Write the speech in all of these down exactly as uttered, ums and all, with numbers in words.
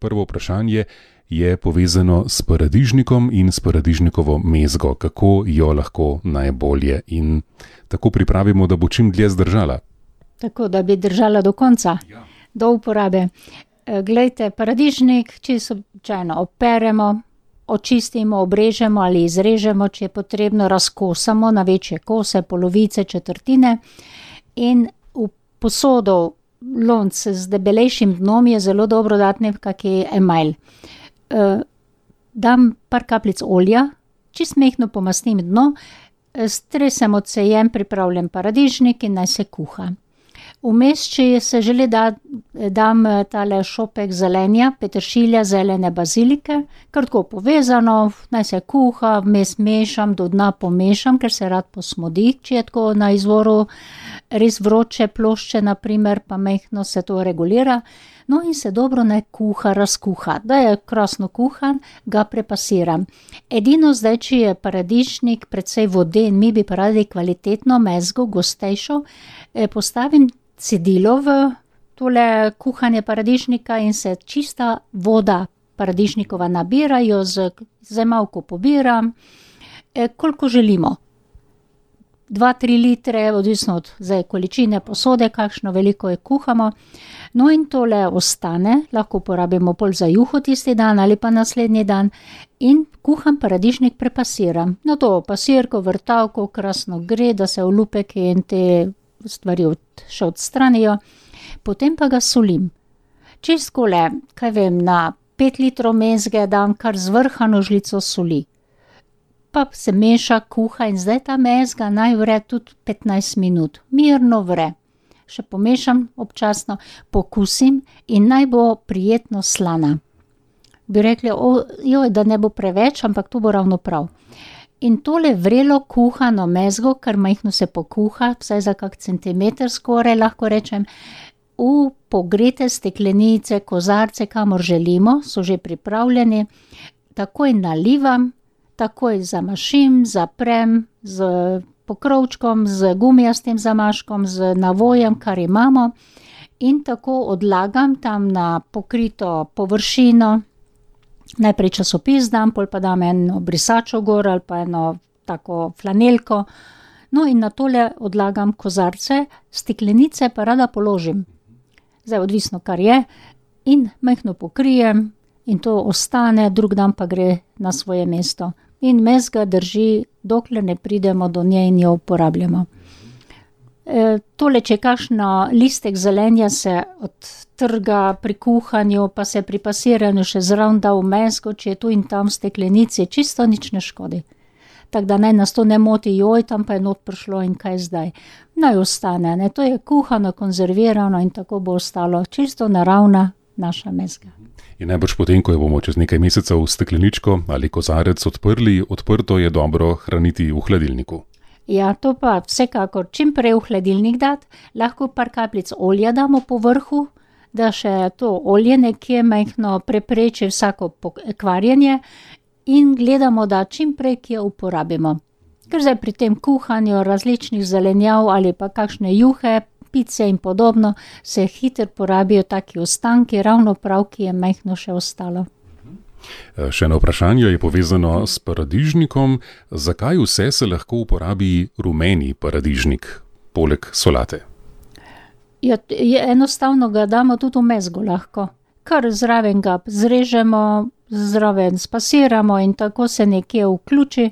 Prvo vprašanje je povezano s paradižnikom in s paradižnikovo mezgo. Kako jo lahko najbolje in tako pripravimo, da bo čim dlje zdržala? Tako, da bi držala do konca, ja. Do uporabe. Glejte, paradižnik čisto običajno operemo, očistimo, obrežemo ali izrežemo, če je potrebno, razkosamo na večje kose, polovice, četrtine in v posodo, lonc z debelejšim dnom je zelo dobro dati nekakšen emajl. Uh, dam par kapljic olja, čist mehno pomastim dno, stresem odsejem pripravljen paradižnik in naj se kuha. Vmes, če se želi, da dam tale šopek zelenja, peteršilja, zelene bazilike, kar tako povezano, naj se kuha, vmes mešam, do dna pomešam, ker se rad posmodi, če je tako na izvoru res vroče plošče, naprimer, pa mehno se to regulira. No in se dobro naj kuha, razkuha. Da je krasno kuhan, ga prepasiram. Edino zdaj, če je paradižnik precej voden, mi bi pa radi kvalitetno mezgo, gostejšo, eh, postavim cedilo v tole kuhanje paradižnika in se čista voda paradižnikova nabirajo, z zemalko pobiram, eh, koliko želimo. dva tri litre, odvisno od zdaj količine posode, kakšno veliko je kuhamo. No in tole ostane, lahko uporabimo pol za juho tisti dan ali pa naslednji dan in kuham paradižnik prepasiram. No to pasirko, vrtavko, krasno gre, da se olupeki in te stvari od, še odstranijo. Potem pa ga solim. Čistkole, kaj vem, na pet litrov mezge dam kar zvrhano žlico soli. Pa se meša, kuha in zdaj ta mezga naj vre tudi petnajst minut. Mirno vre. Še pomešam občasno, pokusim in naj bo prijetno slana. Bi rekli, o, joj, da ne bo preveč, ampak to bo ravno prav. In tole vrelo kuhano mezgo, kar majhno se pokuha, vsaj za kak centimeter skoraj, lahko rečem, v pogrete steklenice, kozarce, kamor želimo, so že pripravljeni, takoj nalivam, takoj zamašim, zaprem z pokrovčkom, z gumijastim zamaškom, z navojem, kar imamo in tako odlagam tam na pokrito površino. Najprej časopis dam, pol pa dam eno brisačo gor ali pa eno tako flanelko. No in na tole odlagam kozarce, steklenice pa rada položim. Zdaj odvisno, kar je, in majhno pokrijem in to ostane, drug dan pa gre na svoje mesto. In mezga drži, dokler ne pridemo do nje in jo uporabljamo. E, tole, če kakšno listek zelenja se odtrga pri kuhanju, pa se pri pasiranju še zraven da v mezgo, če je tu in tam v steklenici, čisto nič ne škodi. Tako da naj nas to ne moti, joj, tam pa je not prišlo in kaj zdaj. Naj ostane, ne, to je kuhano, konzervirano in tako bo ostalo čisto naravna naša mezga. In najbrž potem, ko jo bomo čez nekaj mesecev stekleničko ali kozarec odprli, odprto je dobro hraniti v hladilniku. Ja, to pa vsekakor čim prej v hladilnik dati, lahko par kapljic olja damo po vrhu, da še to olje nekje majhno prepreči vsako kvarjenje in gledamo, da čim prej kje uporabimo. Ker zdaj pri tem kuhanju različnih zelenjav ali pa kakšne juhe, pice in podobno, se hitro porabijo taki ostanki, ravno prav, ki je majhno še ostalo. Še eno vprašanje je povezano s paradižnikom. Zakaj vse se lahko uporabi rumeni paradižnik, poleg solate? Ja, je enostavno ga damo tudi v mezgo lahko. Kar zraven ga zrežemo, zraven spasiramo in tako se nekje vključi,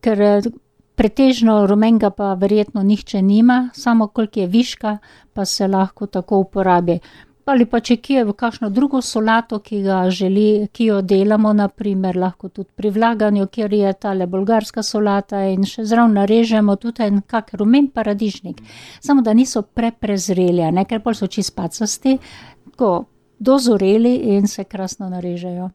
ker pretežno rumenga pa verjetno nihče nima, samo koliko je viška, pa se lahko tako uporabi. Ali pa če kje v kakšno drugo solato, ki ga želi, ki jo delamo, naprimer, lahko tudi pri vlaganju, kjer je tale bolgarska solata in še zraven narežemo tudi en kak rumen paradižnik. Samo da niso preprezreli, ne, ker pol so čisto pacasti, tako dozoreli in se krasno narežejo.